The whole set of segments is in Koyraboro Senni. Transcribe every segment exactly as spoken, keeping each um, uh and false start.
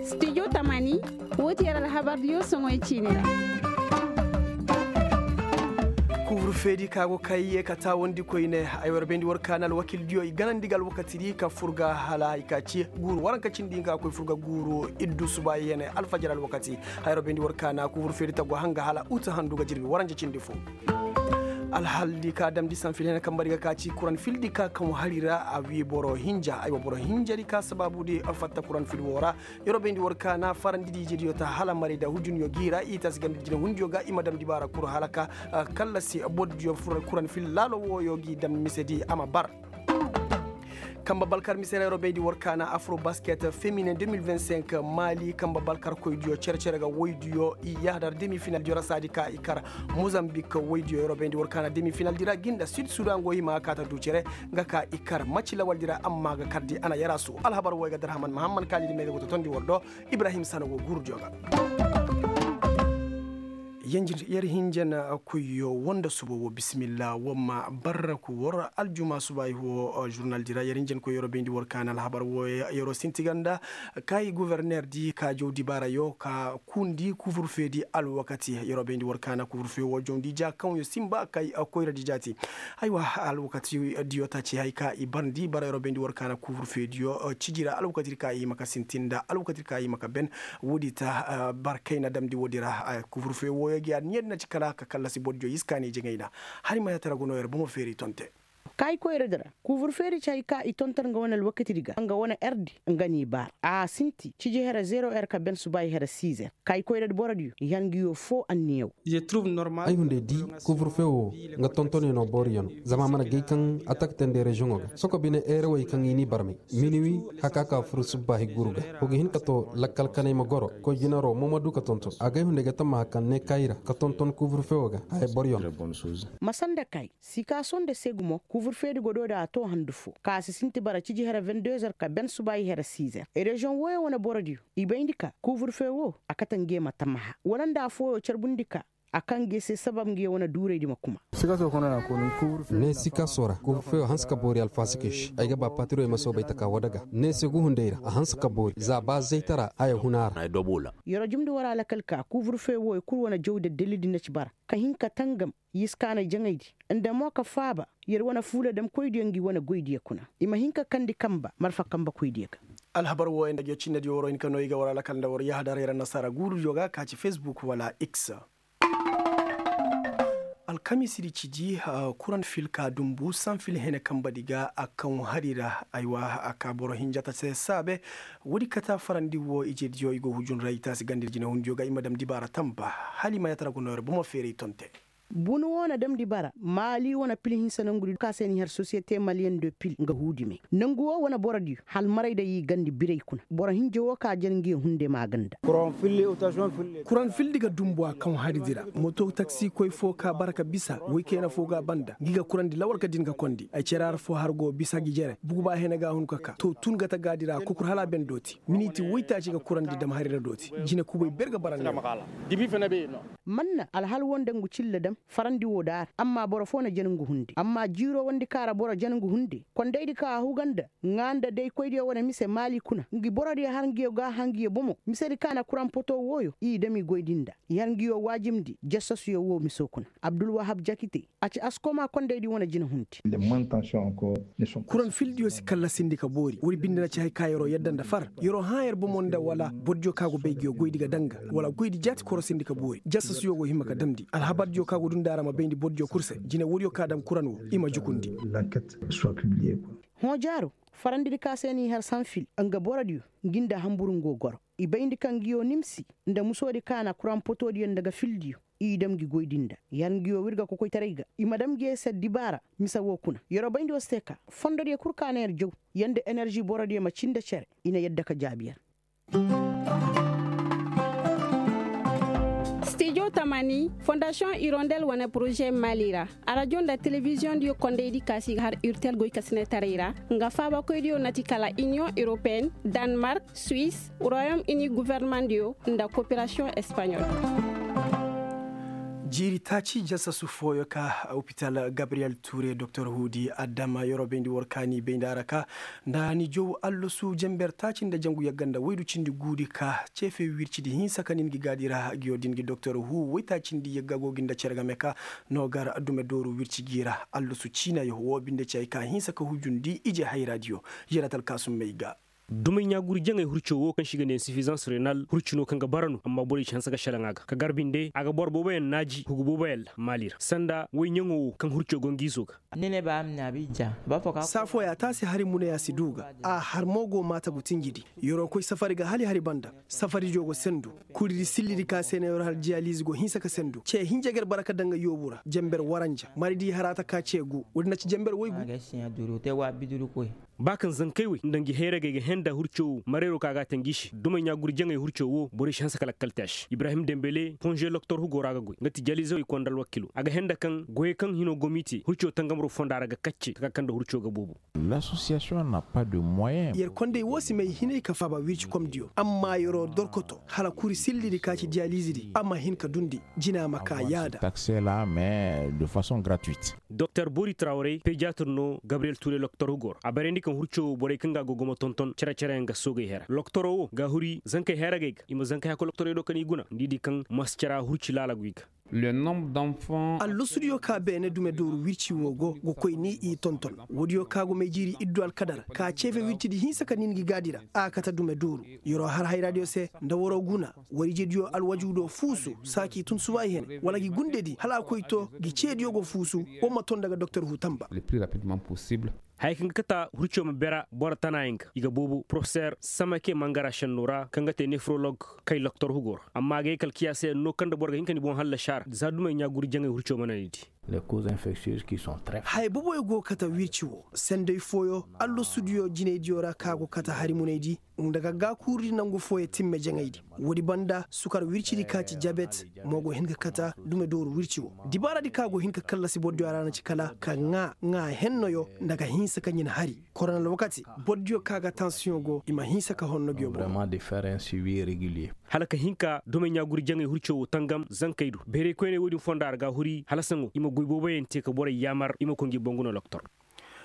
Studio tamani, woo ti yer alhabardiyo soŋoy ciini ra. Kuubur feedi ka go kay ye ka taawandi koyne. Ay war bayndi war ka na alwakildiyo i ganandi ga alwakatidi ka fur ga hala hay ka ci guuru waranka cindi hinka ga koy fur ga guuru iddu subaayi hene alfajar alwakati. Ay war bayndi war ka na kuubur feedi tagu hanga hala uta handu ga jirbi waranja cindi fo. Alhaldi ka damndi sanfil hene kambari ga ka ci kuran fildi ka kaŋ hari ra a wii boro hinja ay wa boro hinjari ka sabaabudi fatta kuran fil woo ra. Yeroo bayndi war ka na farandi di ijediyo ta hala maray nda hujunyo g'i ra i taasi ganda jinehundiyo ga i ma damndi baara kuru hala ka kallasi bordiyo fur kuran fil laalo wooyo g'i dam misedi a ma bar. Kamba balkar mise ra yeroo bayndi war ka na afro basket feminin deux mille vingt-cinq maali kamba balkarkoydiyo cere-cere ga woydiyo i yahadar demi finaldiyo ra saadi ka i kar mozambik woydiyo yeroo bayndi war ka na demi finaldi ra ginda sud sudan go hima ka ta du cere nga ka i kar maci lawaldi ra amma ga kardi a na yarasu alhabar wo ay ga darhaman mahamman kaalidi me ga go totondi war do. Ibrahim sana go gurudiyo ga. Yer hinja na koyyo woo nda suba woo bisimilla woo ma barraku war aljuma suba ay woo žurnaldi ra yer hinja na koyyo yeroo bayndi war ka na alhabar woo yeroo sinti ganda ka i governerdi ka jaw dibaarayo ka kundi kufur feedi alwakati yeroo bayndi war ka na kufur fee woo jawndi ja kaŋ yo sinba ka i koyradi jaati. Aywa, alwakatidiyo taaci hay ka i barndi bara yeroo bayndi war ka na kufur feediyo ciji ra alwakatidi ka i hima ka sintin nda alwakatidi ka i hima ka ben. Woodi ta barkayna damndi woodi ra kufur fee wooyo gi a niya di na ci kala ka kallasi bordiyo iskaani jaŋayna. Hari ma yaatara go no yer bomo feeri tonte. Kaayi koyradi ra kufur feeri ci hay ka i tonton nga wane alwakatidi ga nga wane erdi nga n'i baara a sinti ciji here zero er ka ben subaayi here sizer. Kaayi koyradi borodiyo i har ngiyo foo anniya woo. Ay hunday di, kufur fee woo nga tontoney no booriyo no. Zama a mana gay kaŋ a taka teendi reziyoŋo ga soko bine eerawey kaŋ i n'i barmay. Miniwi haka ka fur subbaahi guuru ga. Wa ga hin ka too lakkal kanay ma goro koy jinaro mo ma du ka tonton a gay hunday ga tammaha kaŋ ne kaayi ra ka tonton kufur fee woo ga haya boroyo no. Masa nda kaayi, sikaaso nda se gumo kufur feedi go doodi a too handu foo ka si sinti bara ciji here vingt-deux er ka ben subaayi here sizer reziyoŋ wooyo wane borodiyo. I bayndi ka kufur fee woo a kate nge ma tammaha wala nda affooyo carbundi ka a kaŋ nge se sabab nge wane duuraydi ma kuma. Ne sikaaso ra kufur fee woo hanse ka boori alfaasikey se ay ga ba patirowey ma soobay taka woo daga ne se gu hunday ra a hanse ka boori za ba zaytara haya huna ra. Yeroo jumndi war alakal ka kufur fee wooyo kul wane jaw daddalidi na ci bara ka hin ka tangam yiskaanay jaŋaydi nda mo ka faaba yer wane fuula damkoydiyo ngi wane goydiyo kuna. I ma hin ka kandi kamba marfa kambakoydiyo ga. Alhabar wooyo nda ngiyo cinnediyo waroo hin ka no i ga war alakal nda war yahadar yer annasaara guurudiyo ga ka ci fesbuk wala x. Alkamisidi ciji kuran fil ka dumbu sanfil hene kambadi ga a kaŋ hari ra aywa a ka boro hinjata se saabe. Woodi kata farandi wo ijediyo i go hujun ra i taasi gandiri jinehundiyo ga i ma dam dibaara tamba hala i ma yatara go nooyar bomo feeray tonte. Bunu wo na damndi bara maali wane pil hinsa nangudi ka se ni har sosiyete maliyen de pil nga huudi me nangu wo wane borodiyo halmaray day i gandi biray kuna boro hinja wo ka jar ngiyo hunde maaganda. Kuran fildi ga dumbu a kaŋ haridi ra moto taksi koy fo ka bara ka bisa woy kayna fo ga a banda ngi ga kurandi lawal ka din ga kondi ay cere har fo har go bisa gi jere bugu ba hene ga hun ka ka to tun ga ta gaadi ra kokur hala ben dooti miniti woytaaci ga kurandi dam hari ra dooti jine kubay ber ga bara ne. Manna alhal wo nda ngu cilla dam farandi wo daara amma boro fo na jana ngu hunde amma jiiro wondi ka ra boro jana ngu hunde kondaydi ka a huga nda ŋaa nda daykoydiyo wane mise maali kuna ngi borodiyo har ngiyo ga a hã ngiyo bomo misedi ka na kuran poto wooyo i dam i goydi nda i har ngiyo waajibndi jasasuyo woo miso kuna abdulwahab jakite a ci askoma kondaydi wane jina hundi. Kuran fildiyo si kallasindi ka boori woodi binde na ci hay ka yeroo yadda nda far yeroo hã yer bomo nda wala bordiyo ka go bay ngiyo goydi ga danga wala goydi jaati korosindi ka boori jasasuyo go hima ka damndi alhabardiyo ka go dunda ra ma bayndi bordiyo kul se jine woodiyo ka dam kuran wo i ma jukundi. Hõ jaaro farandidi ka se n'i har sanfil nga borodiyo ngi nda hanbur ngo goro i bayndi kaŋ ngiyo nimsi nda musoodi ka na kuran potodiyo nda ga fildiyo i dam ngi goydi nda i har ngiyo wirga kokoytaray ga i ma dam ngiyo se dibaara mise woo kuna yeroo bayndi woo si te ka fondodiyo kul ka na yer jaw yer nda enerži borodiyo ma cii nda cere i na yadda ka jaabi yer. Stijo tamani fondasiyoŋ irondel wane poroze maali ra arajo nda telebiziyoŋ diyo kondaydi ka si ga har urtel goykasinetaray ra nga faabakoydiyo na ti kala iniyoŋ europeen, danmark, suis, royom ini governemandiyo nda koperasiyoŋ espaɲol. Jiiri taaci jasasu fooyo ka opital gabriyel ture doktor huudi adama yeroo bayndi war kaani bayndi a ra ka nda ni jow allasu jenber taaci nda jangu yagga nda waydu cindi guudi ka ceefe wircidi hinsa ka ni ngi gaadi ra ngi yoo din ngi doktor huu waytaacindi yagga go gi nda cere game ka noo gar dume dooru wirci gi ra allasu ciinayo woo binde ci hay ka hinsa ka hujundi ije hayraadiyo. Yaratal kaasum may ga. Dumey ɲaaguri jaŋay hurco woo kaŋ se i ga nee insifizans renal hurci no kaŋ ga bara no amma borey si hanse ka šelaŋ a ga ka gar binde a ga boro booboyaŋ naaji hugu booboyaŋ ra maali ra sanda woy ɲaŋo woo kaŋ hurco go ngi izo ga. Saa fooya taasi hari munayaa si duu ga a har mo go maata gu tinjidi. Yer'o koy safari ga hala i hari banda. Safarijo go sendu. Kuridi sillidi ka se na yer'o har diyaliize go hinsa ka sendu ce hinja ga ir bara ka daŋ ga yoobu ra jenber waranja maridi haraata ka ce gu. Woodi na ci jenber woy gu. Ba kaŋ zankey wey nda ngi hayragey ga henda hurco wo mareero ka ga a te ngi se dumey ɲaaguri jaŋey hurco wo borey si hanse ka lakkal te a se ibrahim dembele konže loktor hugo ra ga goy nga ti jalizawey konda alwakilo a ga henda kaŋ goyey kaŋ hino gomite hurco tangamro fonda ra ga kacce taka kaŋ nda hurco ga boobo. Yer kondey wo si may hinay ka faaba wirci komdiyo amma yer'o dorkoto hala kuri sillidi ka ci diyalizidi a ma hin ka dundi jina ma ka yaada. Doktor bori trawrey pediatr no gabriyel ture loktor hugo ra a barandi kaŋ hurco wo borey kaŋ ga a go ga ma tonton cere-cereyaŋ ga soogey hera loktoro wo ga a huri zankey heragey ga i ma zankey hakkoy loktorey do kaŋ i guna nda i di kaŋ mascara hurci laala go i ga. Allasudiyo ka beene dume dooru wirci wo go ga koy ni i tonton. Woodiyo ka go may jiiri iddu alkadar ka ceefe wircidi hinsa ka ni ngi gaadi ra a kate dume dooru. Yer'o har hayraadiyo se nda war'o guna war ijediyo alwajuudo fuusu saa k'i tun suba i hene wala gi gundedi hala a koy to gi ceediyo go fuusu. War ma ton daga doktor huutamba. Haya kaŋ ga kata hurco ma bera boro tanaayaŋ ga i ga boobo porofeseer samake mangara šenno ra kaŋ ga te nefrolog kay loktor hugo ra amma a ga ye kala kiyaasa yaŋ no kaŋ nda boro ga hin ka ni boŋ hallasi a ra za dumey ɲaaguri jaŋay hurco mana ni di. Haya boboyo go ga kata wirci wo senday fooyo allasudiyo jinaydiyo ra kaŋ a go ga kata hari munaydi nda ga gaakuurudi nangu fooyo timme jaŋaydi. Woodi banda sukar wircidi ka ci jabet mo go hin ka kata dume dooru wirci wo dibaaradi ka go hin ka kallasi bordiyo a ra na ci kala ka ŋaa ŋaa hennoyo nda ka hinsa ka ɲin hari. Koronal wakati bordiyo ka ga tansiyoŋ go i ma hinsa ka honno ngiyo boŋ. Hala ka hin ka dumey ɲaaguri jaŋay hurco wo tangam zankey do bayray koyney woodin fonda ra ga a huri hala saŋo i ma goy booboyaŋ te ka borey yaamar i ma koy ngi boŋ guna loktor.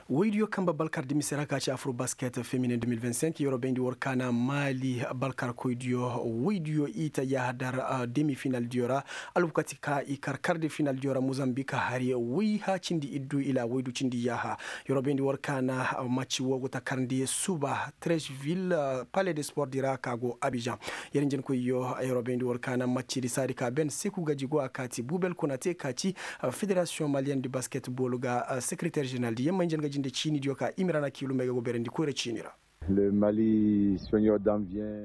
Woydiyo kamba balkar dimise ra ka ci afro basket feminin deux mille vingt cinq yeroo bayndi war kaana maali balkar koydiyo woydiyo i ta yaaha dar demi final diyo ra. Alwakati ka i kar kar de final diyo ra mozambik hari woy ha cindi iddu ila woydu cindi yaaha. Yeroo bayndi war kaana macci wo go ta karndi suba trecheville palais de sport di ra ka go abijan. Yer njenkoyyo yeroo bayndi war kaana maccidi saadi ka ben seku gaji go a kaati bubel kuna te ka ci federasiyoŋ maliyen di basketbol ga sekereter jeneral di yamma njen ga jinde ciini diyo ka imirana kiilumey ga go berandi koyra ciini ra.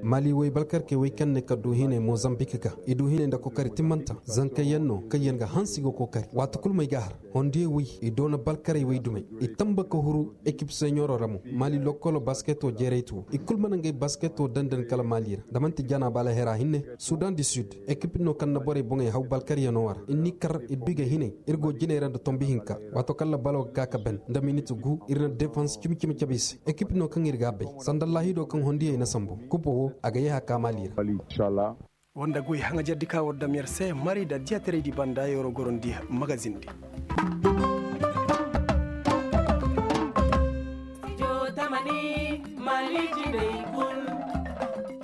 Mali woy balkarkey woy kaŋ ne ka du hinay mozambik ga i du hinay nda kokari timmanta zankayyaŋ no kaŋ yaŋ ga hansi ga kokari waati kulu may ga har. Hondiyey woy i doona balkarey woy dumey i tamba ka huru ekip seɲoro ra mo. Mali lokkolo basketo jeeraytu wo i kulu mana ngey basketo dandan kala mali ra da manti jana bala hera hinne. Sudan di sud ekip no kaŋ na borey boŋey haw balkaryaŋo war i n'i kar i du i ga hinay. Ir go jinay ra nda tombi hinka waato kaŋ labalo ga ka ka ben nda minit gu ir na defans cimi-cimi cabe i se ekip no kaŋ ir ga a bay sanda laahido kaŋ hondiyey na sambu kubo wo a ga yeeha ka mali ra. Wanda goy haŋajardi ka war dam yer se mari da diyataraydi banda yeroo gorondi magazindi.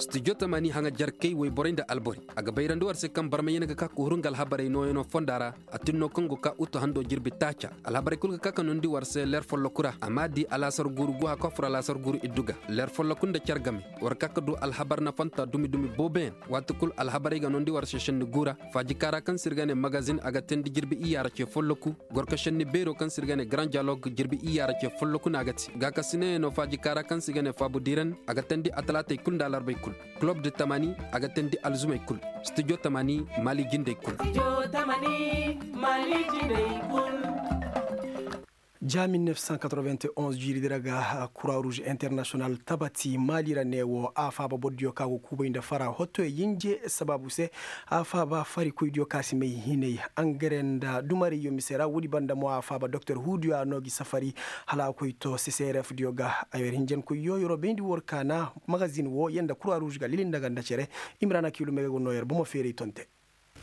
Studio tamani haŋajarkey woyborey nda albori a ga bayrandi war se kaŋ barmayyaŋ ga ka ka huru nga alhabarey nooyaŋo fonda ra. A tin no kaŋ go ka utu hando jirbi taaca alhabarey kulu ga ka ka noondi war se leer folloku ra a m'a di alaasar guuru guha ka fur alaasar guuru iddu ga. Leer folloku nda care game war ka ka du alhabar nafanta dumi-dumi booboyaŋ. Waati kulu alhabarey ga noondi war se šenni guura faaji kaara kaŋ se ir ga ne magazin a ga teendi jirbi iyya ra ce folloku. Gorko šenni beero kaŋ se ir ga ne garan dialog jirbi iyya ra ce folloku no a ga te gaakasinayaŋo faaji kaara kaŋ se ir ga ne faabu diiran a ga teendi atalaatey kulu nda alarbey kulu. Kulob de tamani a ga teendi alzumey kulu. Studio tamani mali jindey kulu. Za mil neef san katorovinti onz jiiri di ra ga kura ruuz internasiyonal tabati maali ra ne wo a faaba bordiyo ka go kuubay nda fara hottoyo yinje sabaabu se. A faaba farikoydiyo ka si may hinay angare nda dumarayyo mise ra woodi banda mo a faaba doktor huudiyo a noo gi safari hala a koy to seserefdiyo ga. Ayer hinjankoyyo yeroo bayndi war kaana magazin wo yer nda kura ruuz ga lili nda ganda cere. Imrana kiilumey ga go noo yer bomo feeray tonte.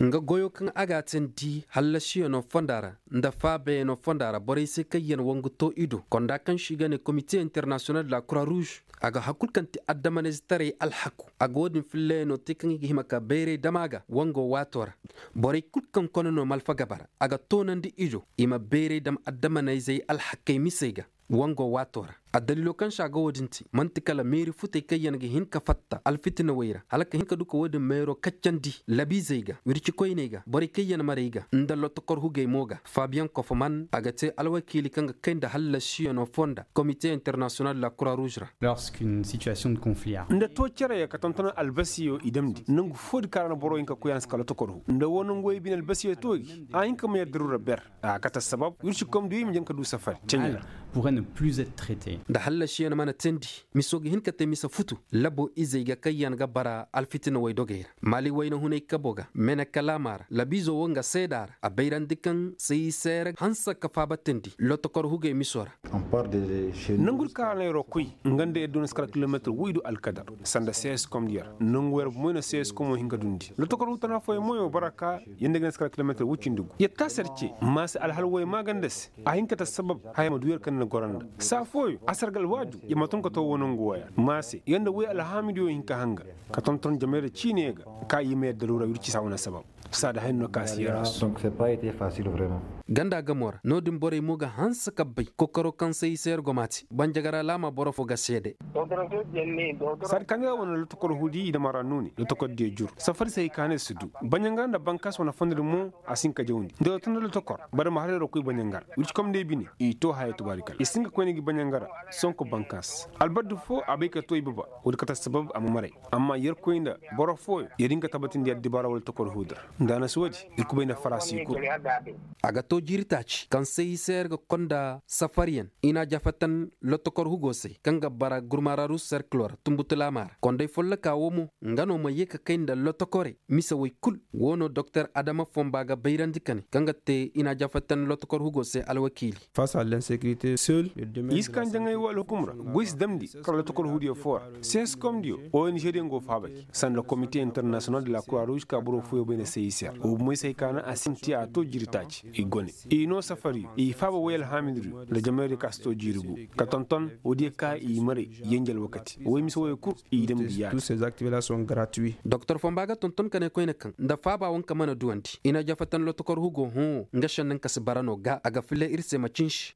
Nga goyo kaŋ a ga a teendi hallasiyano fonda ra nda faabayano fonda ra borey se kaŋ yaŋ wangu to i do konda kaŋ se i ga ne komite internasiyonal de la kura ruuz. A ga har kul kaŋ ti addamanayzetaray alhaku a ga wo-din fillayano te kaŋ i ga hima ka bayray dam a ga wango waato ra. Borey kul kaŋ kone no malfa gaba ra a ga toonandi i do i ma bayray dam addamanayzey alhakey misey ga wango waato ra. Addaliilo kaŋ se a ga wo-din te man'ti kala meeri futey kaŋ yaŋ ga hin ka fatta alfitinawey ra hala ka hin ka du ka wo-din meero kaccandi labiizey ga wircikoyney ga borey kaŋ yaŋ marey ga nda lotokor hugey mo ga fabiyaŋ kofoman a ga te alwakiili kaŋ ga kay nda hallasiyano fonda komite internasiyonal de la kura ruuz ra. Nda too cere ya ka tonton albasiyo i damndi nangu foodi kaŋ ra na boro hin ka koy a na si ka lotokor hu nda wo nangu wey bine albasiyo too gi a hin ka ma yadda rura ber. A kate assabab wircikomdiyo i ma jan ka du safari ceɲa ra. Nda hallasiyaŋ mana teendi miso ga hin ka te mise futu labo izey ga kaŋ yaŋ ga bara alfitina waydogey ra maali wayna hunay kabo ga mene kalaama ra labiizo wo nga seeda ra a bayrandi kaŋ sayi seere hanse ka faaba teendi lotokor hugey miso ra. Nangu di kaŋ ra na yer wo koy nga nda yer du na si kar kilometir woy du alkadar sanda seeskom diyo ra nangu yer bomoy na seeskom wo hin ka dundi lotokor hu tana fooyaŋ mo yer wo bara ka yer nda ga na si kar kilometir woy cindi gu yer taasi yer ce maase alhal woy maaganda se. A hin ka ta sabab haya ma du yer kaŋ na goro nda saa fooyo a sargal waaju yer ma tun ka to wo nangu waya ma se yer nda woy alhaamidiyo hin ka hanga ka tonton jamay ra ciine ga ka i ma yer daruura wirci saa wane sabab. Saa da haya no ka si yer a su. Ganda gamo ra no-din borey mo ga hanse ka bay kokaro kaŋ se i se yer go ma te banjagara laama boro fo ga seede. Saadi kaŋ ga wane lotokor hudi i dama ra nuuni lotokor diyo jur safari se hay ka hane si du banjangara nda bankaas wane fondo di mo a si hin ka jawndi nda yer tun nda lotokor bari ma har yer wo koy banjangara wircikom nda i bine i to haya tubaari kala i si hin ka koyne gi banjangara sonko bankaas albardi fo a bay ka to i baba. Wo-din kate sabab a ma maray amma yerkoy nda boro fooyo yer hin ka tabatindi addibaara wala tokor huuda ra nda a na si wo-din ir kubay nda faraasi kul. A ga to jiiri taaci kaŋ se i se yer ga konda safariyaŋ i na a jafatan lotokor hugo se kaŋ ga bara gurmararu serkilo ra tunbutu laama ra konday folloka wo mo nga no ma ye ka kay nda lotokorey mise woy kul. Wo no doktor adama fomba ga bayrandi ka ne kaŋ ga te i na a jafatan lotokor hugo se alwakiili. Iska njaŋay wo alhukum ra goy si damndi kar lotokor hudiyo fo ra. Seskomdiyo ong diyo go faabay sanda komite internasiyonal de la kura ruuz ka boro fooyo bay nda se i se ra wo bomey se hay ka naŋ a sinti a to jiiri taaci i go ne i noo safariyo i faaba woy alhaamidiyo nda jamaydiyo ka si to jiiri gu ka tonton woodiyo ka i maray yenje alwakati woy mise woyo kul i damndi yaada. Doktor fomba ga tonton ka ne koyne kaŋ nda faaba wanka mana duwandi i na jafatan lotokor hugo hõ nga šennaŋ ka si bara no ga a ga filla ir se ma cinsi.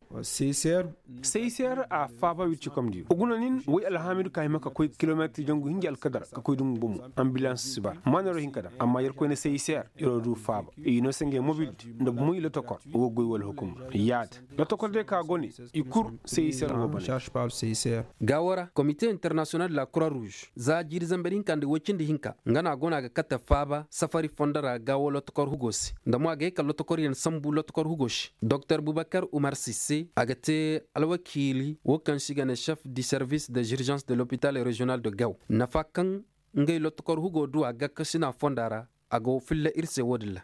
Seyser a faaba wircikomdiyo guna nin woy alhaamidu ka hima ka koy kilometir jangu hinja alkadar ka koy dungu bomo. Ambilans si bara maanaro hinka dam amma yerkoy na seyser yeroo du faaba i no se ngey mobildi nda bomoy lotokor wo goy wala hukumra yaada. Lotokor day ka gone i kur seyser wo bane. Gaawo ra komite internasiyonal de la kura ruuz za jiiri zamber hinka nda woy cindi hinka nga no a go no a ga kate faaba safari fondo ra gaawo lotokor hugo se nda mo a ga ye ka lotokoryaŋ sambu lotokor hugo se. Doktor bubakar umar sisse a ga te alwakiili wo kaŋ se i ga ne chef du service de zirgence de lopital regional de gaw nafa kaŋ ngey lotokor hugo du a gakkasina fonda ra. A go filla ir se wo-din ra.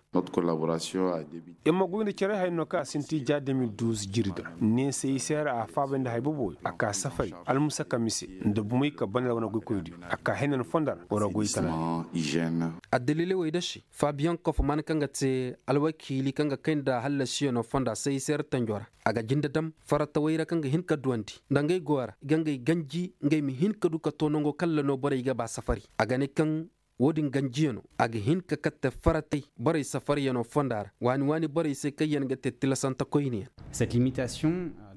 Yer ma goy nda care haya no kaŋ a sinti ja de mil duuz jirdi ra ne se i se ra a faabay nda hay boboyo a ka safari almusaka mise nda bumey ka bane ra wane goykoydiyo a ka henan fonda ra wara goy tana. Addaliley wey da se fabiyaŋ kofoman kaŋ ga te alwakiili kaŋ ga kay nda hallasiyano fonda se i se ra tanjo ra a ga jinde dam faratawey ra kaŋ ga hin ka duwandi nda ngey goyo ra i ga ngey ganji ngey ma hin ka du ka to nango kaŋ ra no borey ga ba safari a ga ne kaŋ wo-din ganjiyano a ga hin ka katte faratey borey safariyano fonda ra waani waani borey se kaŋ yaŋ ga te tilasante koyneyaŋ.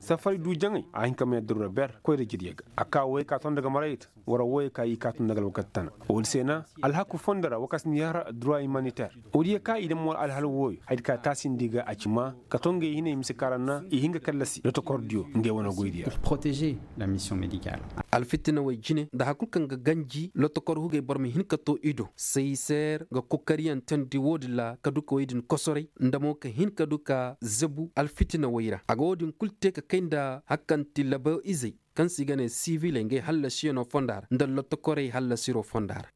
Safari du jaŋay a hin ka may adduruura ber koyra jirya ga a ka woyey ka ton daga marayta wara woyey ka i ka ton daga alwakati tana. Woodi se na alhaku fondo ra wakasindiya ra duruwa imaniter woodiya ka i dam wala alhal wooyo haydi ka taasindi ga a ci maa ka to ngey hinay mise kaŋ ra na i hin ga kallasi lotokordiyo ngey wane goydiyo ra. Alfitinawey jine nda hari kulu kaŋ ga ganji lotokor hugey boro ma hin ka to i do seyser ga kokariyaŋ teendi woodin ra ka du ka wey din kosoray nda mo ka hin ka du ka zabu alfitinawey ra a ga woodin kulu te ka kay nda hari kaŋ ti labo izey kaŋ se i ga ne siviley ngey hallasiyano fonda ra nda lotokorey hallasiro fonda ra.